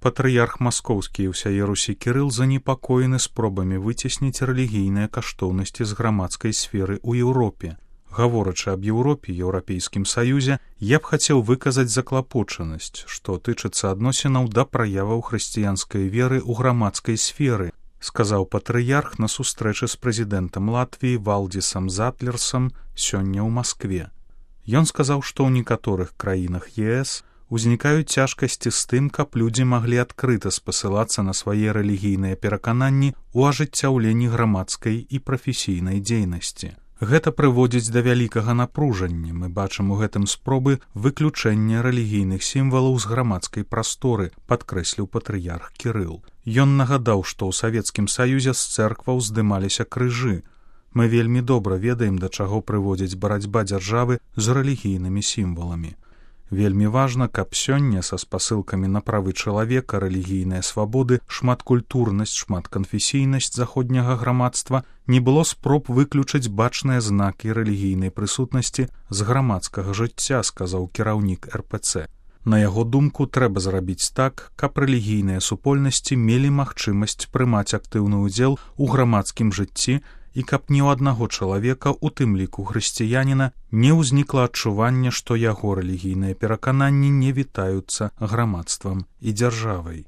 Патрыярх маскоўскі і ўсяе Русі Кірыл занепакоены спробамі выцесніць рэлігійныя каштоўнасці з грамадскай сферы ў Еўропе. Гаворачы аб Еўропе, Еўрапейскім Саюзе, я б хацеў выказаць заклапочанасць, што тычыцца адносінаў да праяваў хрысціянскай веры ў грамадскай сферы, сказаў патрыярх на сустрэчы з прэзідэнтам Латвіі Валдзісам Затлерсам сёння ў Маскве. Ён сказаў, што ў некаторых краінах ЕС узнікаюць цяжкасці з тым, каб людзі маглі адкрыта спасылацца на свае рэлігійныя перакананні ў ажыццяўленні грамадскай і прафесійнай дзейнасці. Гэта прыводзіць да вялікага напружання. Мы бачым у гэтым спробы выключэння рэлігійных сімвалаў з грамадскай прасторы, падкрэсліў патрыярх Кірыл. Ён нагадаў, што ў Савецкім Саюзе з цэркваў здымаліся крыжы. Мы вельмі добра ведаем, да чаго прыводзіць барацьба дзяржавы з рэлігійнымі сімваламі. Вельмі важна, каб сёння са спасылкамі на правы чалавека, рэлігійныя свабоды, шматкультурнасць, шматканфесійнасць заходняга грамадства не было спроб выключыць бачныя знакі рэлігійнай прысутнасці з грамадскага жыцця, сказаў кіраўнік РПЦ. На яго думку, трэба зрабіць так, каб рэлігійныя супольнасці мелі магчымасць прымаць актыўны ўдзел у грамадскім жыцці і каб ні ў аднаго чалавека, у тым ліку хрысціяніна, не ўзнікла адчування, што яго рэлігійныя перакананні не вітаюцца грамадствам і дзяржавай.